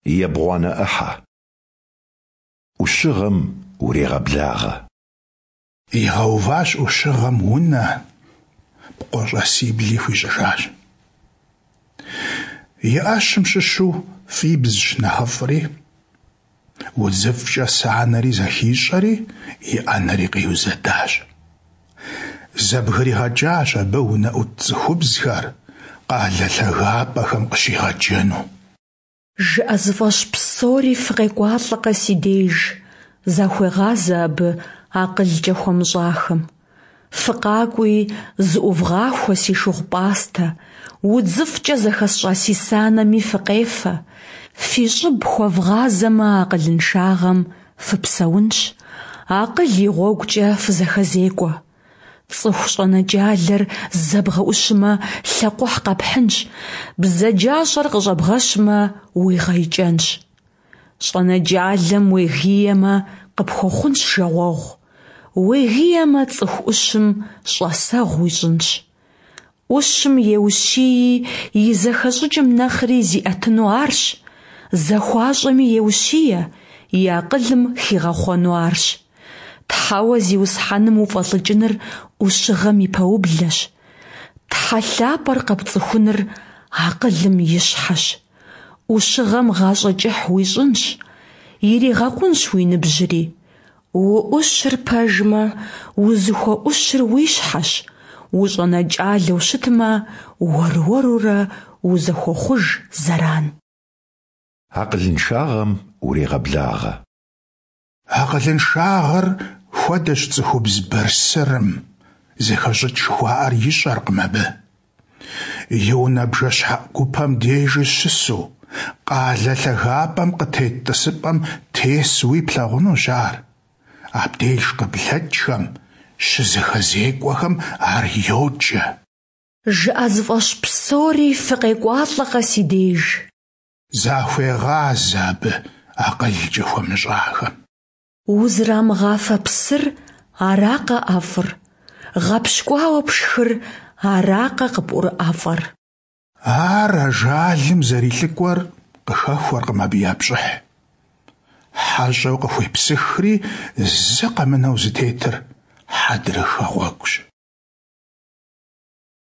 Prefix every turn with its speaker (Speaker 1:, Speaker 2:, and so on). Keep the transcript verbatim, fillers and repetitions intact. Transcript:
Speaker 1: Ебгъуанэ ӏыхьэ. Ӏущыгъэм урегъэблагъэ.
Speaker 2: Игъэуващ Ӏущыгъэм унэ, пкъо щӀасибли хуищӀыжащ. И Ӏэщым щыщу фӀибзщ нэхъыфӀри, удзыфӀкӀэ санэри зэхищӀэри, и Ӏэнэри къиузэдащ. ЗэбгригъэкӀащ абы унэӀут цӀыхубзхэр къалэ лъагапӀэхэм къыщигъэджэну.
Speaker 3: ЖыӀэзыфӀэщ псори фыкъекӀуалӀэкъэ си деж, захуегъазэ абы акъылкӀэ хуэмыщӀахэм. ФыкъакӀуи, зыӀувгъахуэ си шыгъу-пӀастэ, удзыфӀкӀэ зэхэсщӀа си санэми фыкъефэ. Фи щӀыб хуэвгъазэмэ акъылыншагъэм, фыпсэунщ, акъыл и гъуэгукӀэ фызэхэзекӀуэ. ЦӀыху щӀэнэкӀалэр зэ бгъэӀущмэ, лъэкъухь къэпхьынщ, бзаджащӀэр къыщӀэбгъэщмэ, уигъэикӀэнщ. ЩӀэнэкӀалэм уегиемэ, къыпхуэхъунщ жагъуэгъу, уегиемэ, цӀыху Ӏущым щӀасэгъу уищӀынщ. Ӏущым еущии, и зэхэщӀыкӀым нэхъри зиӀэтыну арщ, захуащӀэми еущие, и акъылым хигъэхъуэну арщ. Тхьэуэ Зиусхьэным уфӀэлӀыкӀыныр Ӏущыгъэм и пэублэщ. Тхьэ лъапӀэр къэпцӀыхуныр акъылым и щхьэщ. Ӏущыгъэм гъащӀэ кӀыхь уищӀынщ, иригъэкъунщ уи ныбжьри. УӀущыр пэжмэ, узыхуэӀущыр уи щхьэщ, ущӀэнэкӀалэу щытмэ, уэр-уэрурэ узыхуохъуж зэран.
Speaker 1: Акъылыншагъэм урегъэблагъэ.
Speaker 2: Акъылыншагъэр хуэдэщ цӀыхубз бырсырым, зэхэщӀыкӀ жыхуаӀэр ищӀэркъым абы. И унэ бжэщхьэӀу гупэм дежи щысу, къалэ лъагапӀэм къытет тӀысыпӀэм тесуи плъагъунущ ар. Абдеж къыблэкӀхэм, щызэхэзекӀуэхэм ар йоджэ.
Speaker 3: ЖыӀэзыфӀэщ псори фыкъекӀуалӀэкъэ си деж.
Speaker 2: Захуегъазэ абы акъылкӀэ хуэмыщӀахэм.
Speaker 3: Узрамыгъафэ псыр аракъэ ӀэфӀыр, гъэпщкӀуауэ пшхыр аракъэ къыпӀурыӀэфӀыр?
Speaker 2: Ар ажалым зэрилӀыкӀуэр къыхэхуэркъым абы я пщӀыхь. ХьэщӀэу къыхуепсыхри зы къэмынэу зытетыр хьэдрыхэ гъуэгущ.